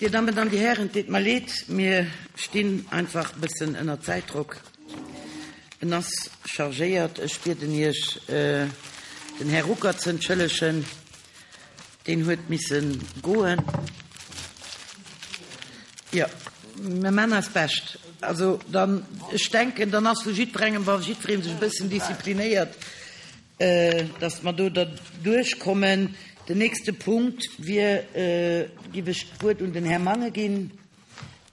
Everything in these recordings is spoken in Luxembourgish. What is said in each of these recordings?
Dir Dammen an Dir Hären, et deet mer leed, mir stinn einfach e bëssen ënner Zäitdrock. En ass chargéiert. Ech bieden Iech, den Här Ruckert ze entschëllegen, deen huet misse goen. Jo, mir maachen eist Bescht. Also dann, ech denken, dann ass vu jiddwerengem, wa jiddweree sech e bëssen disziplinéiert, dass mer do derduerch kommen. Den nächste Punkt wier, giff ech d'Wuert un den Här Mangen ginn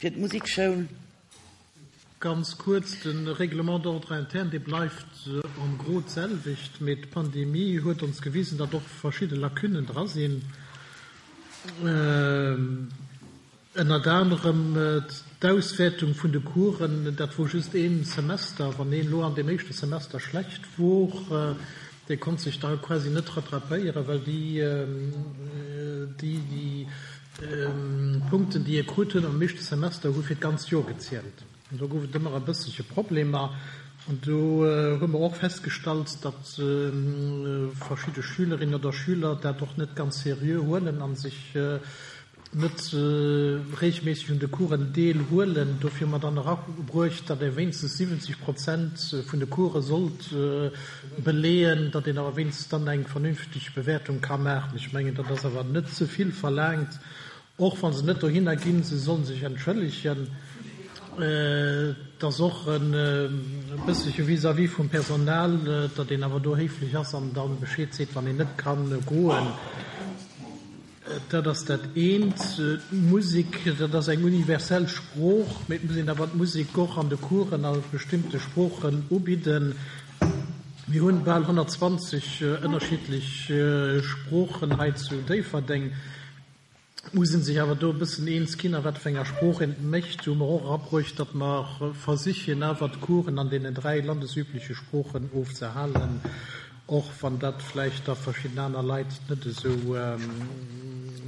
fir d'Musekschoul. Ganz kuerz, De Règlement d'ordre interne, dee bleift en gros d'selwecht, mee d'Pandemie huet ons gewisen, datt och verschidde Lacunnen dra sinn. Ënnert anerem d'Auswäertung vun de Coursen, dat wor just een Semester. Wann een elo an deem éischte Semester schlecht wor, dee konnt sech da quasi net rattrapéieren, well déi déi Punkten, déi e krut huet am éischte Semester, hu fir d'ganzt Joer gezielt. An do gouf et ëmmer e bësselche Problemer. An do hu mer och festgestallt, datt verschidde Schülerinnen oder Schüler dat och net ganz seriö huelen a sech net reegelméisseg un de Coursen deel huelen. Dofir hu mer dann erabruecht, datt ee wéinstens 70 Prozent vun de Course sollt beleeën, datt een awer wéinstens dann eng vernünfteg Bewäertung ka maachen. Ech mengen, dat ass awer net ze vill verlaangt, och wa se net dohinner ginn, se sollen sech entschëllegen. Et ass och e bësselche vis-à-vis vum Personal, datt een awer do héiflech ass an da Bescheed seet, wann een net ka goen. Dat ass dat eent. D'Musek, dat ass eng universell Sprooch, mee et muss een awer d'Musek och an de Coursen a bestimmte Sproochen ubidden. Mir hunn bal 120 ënnerschiddlech Sproochen hei zu Déifferdeng. Et muss ee sech awer do e bëssen eens ginn, a wat fir enger Sprooch een et mécht. Do hu mer och erabruecht, datt mer versichen awer d'Coursen an deenen 3 landesübleche Sproochen ofzehalen. Och wann dat vläicht da verschidden aner Leit net esou,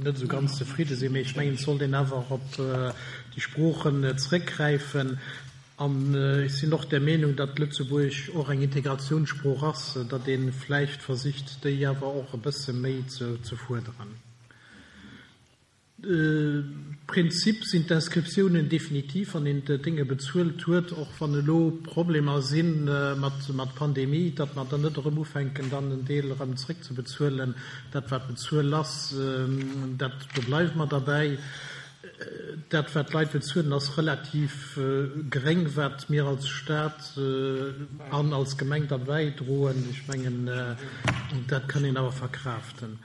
net esou ganz zefridde sinn. Mee ech mengen, et sollt een awer op déi Sproochen zrëckgräifen. An ech sinn och der Meenung, datt Lëtzebuergesch och eng Integrationssprooch ass, datt ee vläicht versicht, déi awer och e bësse méi ze fuerderen. Prinzip sinn d'Inscriptiounen definitiv, wann een d'Dénge bezuelt huet, och wann elo Problemer si mat Pandemie, datt mer dann net erëm ufänken, dann en Deel erëm zréckzebezuelen. Dat wat bezuel ass, dat, do bleiwe mer derbäi. Dat wat d'Leit bezuelen, ass relativ geréng, wat mir als Stat an als Gemeng da bäidroen. Ech mengen, dat kann een awer verkraaften.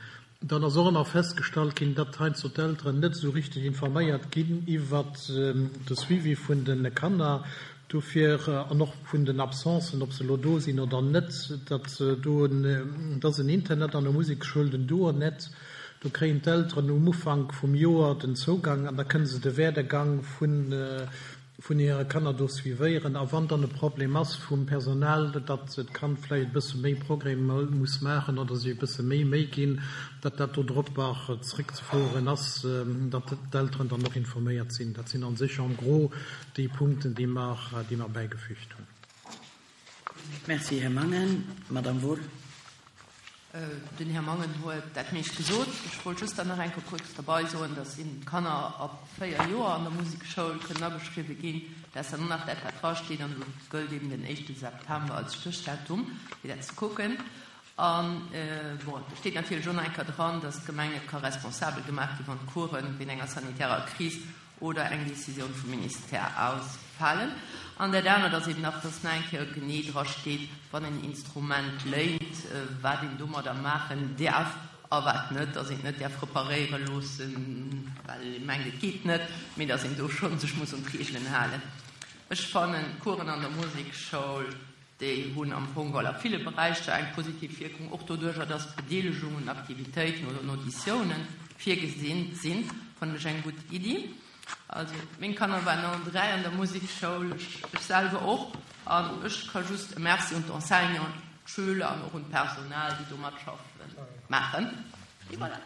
Dann ass och ëmmer festgestallt ginn, datt heiansdo d'Elteren net esou richteg informéiert ginn iwwert de Suivi vun de Kanner, dofir, an och vun den Absencen, ob se elo do sinn oder net, datt do en, et ass en Internet an der Musekschoul, den Duonet, do kréien d'Elteren um Ufank vum Joer den Zougang an da kënne se de Werdegang vun vun hire Kanner do suivéieren a wann dann e Problem ass vum Personal, datt d'Kand vläicht e bësse méi Progrès muss maachen oder sech e bësse méi Méi ginn, datt dat do drop och zréckzefoueren ass, datt d'Elteren dann och informéiert sinn. Dat sinn a sech en gros déi Punkten, déi mer, déi mer bäigefügt hunn. Merci, Här Mangen. Madame Wohl. Den Här Mangen huet dat meescht gesot. Ech wollt just dann nach eng Kéier kuerz derbei soen, dass eben d'Kanner ab 4 Joer an der Musekschoul kënnen ageschriwwe ginn. Dat ass dann och nach dat, wat drasteet. An do gëllt eben den éischte September als Stéchdatum, fir dat ze kucken. An, bon, do steet natierlech och nach eng Kéier dran, dass d'Gemeng net ka responsabel gemaach ginn, wann d'Coursen wéint enger sanitärer Kris oder eng Décisioun vum Ministère ausfalen. An dat anert ass eben nach, dass nach eng Kéier genee dra steet, wann een Instrument léint, wat een domadder maachen däerf a wat net, dass een et net däerf reparéiere loossen, well ee mengt, et geet net, mee dass een do scho sech muss un d'Reegelen halen. Ech fannen d'Coursen an der Musekschoul, Déi hunn am Fong geholl a ville Beräicher eng positiv Wierkung, och doduercher, dass Bedeelegung un Aktivitéiten oder un Auditiounen virgesinn sinn, fannen ech eng gutt Iddi. Also meng Kanner waren allen 3 an der Musekschoul, ech selwer och, an ech ka just e Merci un d'Enseignanten, d'Schüler an och un d'Personal, déi do matschaffen, maachen. Et voilà.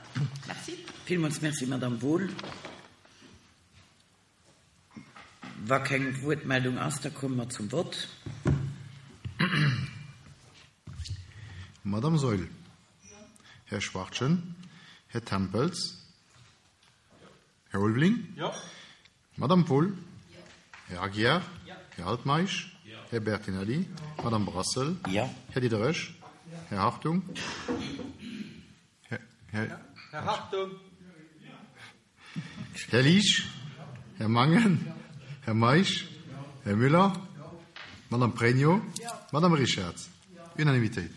Merci. Villmools Merci, Madame Wohl. Wa keng Wuertmeldung ass, da komme mer zum Vott. Madame Saeul. Här Schwachtgen. Här Tempels. Här Ulveling? Jo. Madame Poull? Här Aguiar? Här Altmeisch? Här Bertinelli? Madame Brassel? Jo. Här Diderich? Här Hartung? Här, Här Hartung? Här Liesch? Här Mangen? Här Meisch? Här Müller? Madame Pregno? Madame Richarz? Unanimitéit.